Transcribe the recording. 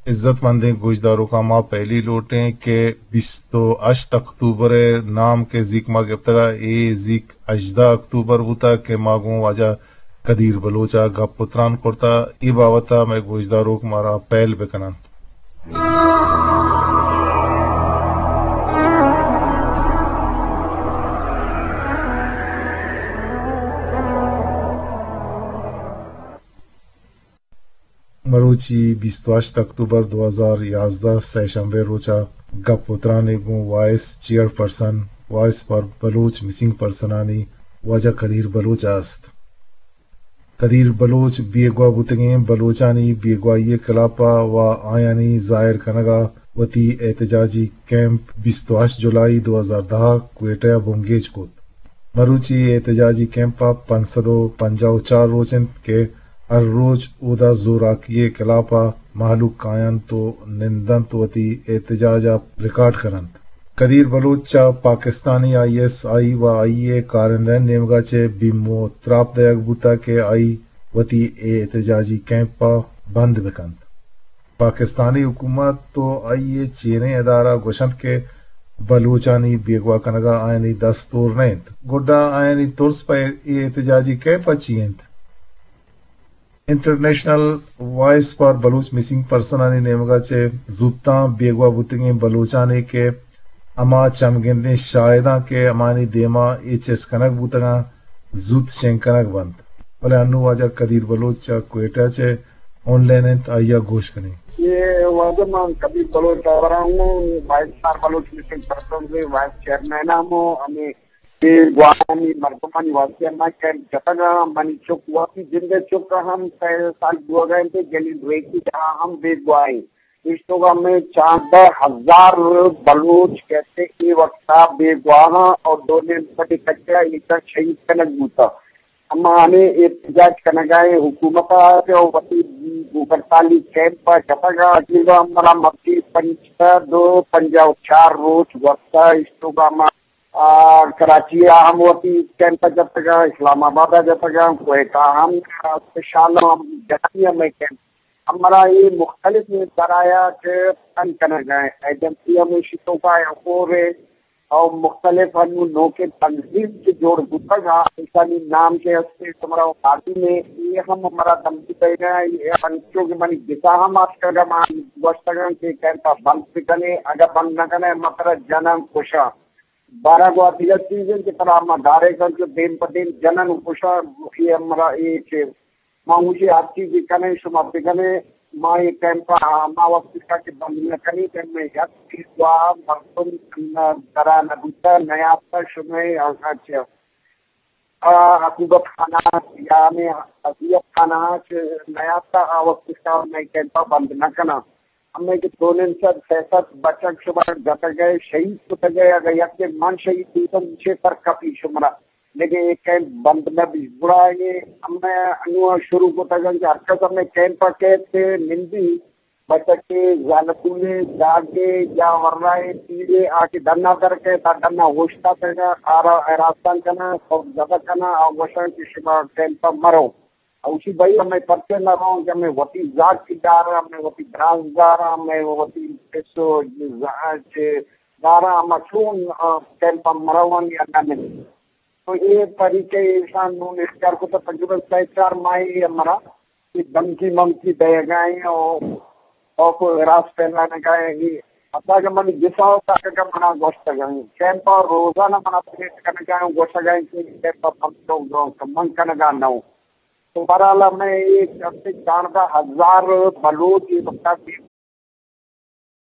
عزت مندیں گوشداروکاں، ما پہلی لوٹیں کہ بیست و ہشت اکتوبر ءِ نام کہ زیک ما گپتگ ءَ، اے زیک ہژدہ اکتوبر بوتگ کہ ما گوں واجہ قدیر بلوچ ءَ گپ و تران کرتہ۔ اے بابت ءَ مئے گوشداروک مارا پہل بہ کن انت۔ مروچی بیست و ہشت اکتوبر دو ہزار یازدہ، سئے شنبے روچ ءَ گپ و ترانے گوں وائس چیئر پرسن، وائس فار بلوچ مسنگ پرسنانی واجہ قدیر بلوچ ءَ است۔ قدیر بلوچ بیگواہ بوتگیں بلوچانی بیگواہی ءِ خلاف ءَ و آیانی ظاہر کنگ ءَ وتی احتجاجی کیمپ بیست و ہشت جولائی دو ہزار دہ ءَ کوئٹہ ءَ بنگیج کت۔ مروچی احتجاجی کیمپ ءَ پنچ سد و پنجاہ و چار روچ انت کہ ہر روچ اودا زوراکی ءِ خلاف ءَ مہلوک کاینت و نندنت و وتی احتجاج ءَ ریکارڈ کننت۔ قدیر بلوچ چہ پاکستانی آئی ایس آئی و آئی ءِ کارندہانی نیمگ ءَ چہ بیم و تراپ دئیگ بوتگ کہ آئی وتی اے احتجاجی کیمپ ءَ بند بہ کنت۔ پاکستانی حکومت و آئی ءِ چیریں ادارہ گوشنت کہ بلوچانی بیگواہ کنگ ءَ آیانی دست ہور نہ انت، گڈا آیانی ترس پہ اے احتجاجی کیمپ ءَ چی انت؟ انٹرنیشنل وائس فار بلوچ مسنگ پرسنانی نیمگ ءَ چہ زوتاں بیگواہ بوتگیں بلوچانے کہ ہما چمگندیں شاہداں کہ ہمانی دیما اے چست کنگ بوتگاں، زوت شنگ کنگ بنت۔ بلے انوں واجہ قدیر بلوچ چہ کوئٹہ چہ آن لائن انت، آئی ءَ گوش کنیں۔ اے واجہ من قدیر بلوچ ہبراں، وائس فار بلوچ مسنگ پرسنز ءِ وائس چیئرمین ہم، ہمے بیگواہانی مردمانی واسطہ ما کیمپ جتگ ءَ، منی چک وتی جند ءِ چک ءَ ہم سئے سال بوگ ءَ انت، جلیل ریکی ءَ ہم بیگواہ انت۔ ایش توکا ہمے چاردہ ہزار بلوچ کہتے اے وقتا بیگواہ انت اور دو نیم پٹی کچا ایشاں شہید کنگ بوتا۔ اما ہمے احتجاج کنگا ایں حکومت ءَ کہ وتی بھوک ہڑتالی کیمپ ءَ جتگ ءَ، عقیدہ ہمرا مرچی پنچ سد و پنجاہ و چار روچ گوستہ، ایش توکا ما آ، کراچی ءَ ہم وتی کیمپ ءَ جتگ ءَ، اسلام آباد ءَ جتگ ءَ، کوئٹہ ءَ ہم، آ، اسپیشل ہم جتگ ءَ مئے کیمپ۔ ہمرا اے مختلف ذرائع کہ پن کنگ ءَ، ایجنسی ہم ایشی توکا ءَ اور اور مختلف انو نوکیں تنظیم کہ جوڑ بوتگ ءَ، ایشانی نام کہ ہستے شمارا معلوم ہے، اے ہم ہمرا دمکی دئیگ ءَ، اے انچو کہ منی گسا ہم آتکگ ءَ، ما گوشتگ ءَ کہ کیمپ ءَ بند بکنے، اگہ بند نہ کنے، ما ترا جناں کشاں۔ بارہ گوں دگہ چیز انت کہ ترا ما ڈائریکٹ انت کہ دیم پہ دیم جنن و کشاں، اے ہمرا اے کہ ما گوشی ہر چیزے کنیں، شما بکنیں، ما اے کیمپ ءَ ہما وقت تک کہ بند نہ کنیں کہ مئے یک چیز وا مردم درا نہ بوتہ، نیاتہ، شمئے آنکھاں چہ آ، عقوبت خانہ یا ہمے اذیت خانہ چہ نیاتہ، آ وقت تک مئے کیمپ ءَ بند نہ کناں۔ ہمے کہ دو نیم سد سئے سد بچک شمارا جتگ ءَ، شہید کتگ ءَ، اگہ یکے من شہید بیتاں، چے فرق کپی شمارا؟ لیکن اے کیمپ بند نہ بی۔ گڑا اے ہمے انو شروع کتگ انت کہ ہر کس ہمے کیمپ ءَ کیت کہ نندی بچکے، زالبولے، جاگے یا ورنائے پیرے آ کہ ڈنا در کئیت، آ ڈنا اوشتاتگ ءَ، آرا ہراساں کناں، خوف زدہ کناں، آ گوشاں کہ شما کیمپ ءَ مرو۔ اوشی بھئی ہمے پرچہ نہ رواں کہ ہمے وتی زاگ کہ داراں، ہمے وتی براز داراں، ہمے وتی پس و ز-، چہ داراں، ہما چون، آ، کیمپ ءَ مروان یا نہ من۔ تو اے طریقہ ایشان نون اختیار کتا، تقریباً سئے چار ماہے ہمرا اے دھمکی ممکی دئیگا ایں اور خوف و ہراس پھیلانگا ایں۔ اے حتی کہ من گسا و تاکہ منا گوشتگا ایں، کیمپ ءَ روزانہ منا تھریٹ کنگا ایں، گوشگا ایں کہ کیمپ ءَ بند کرو، من کنگا نہ اوں۔ تو بہرحال ہمے اے کم سے چاردہ ہزار بلوچ اے وقتا بے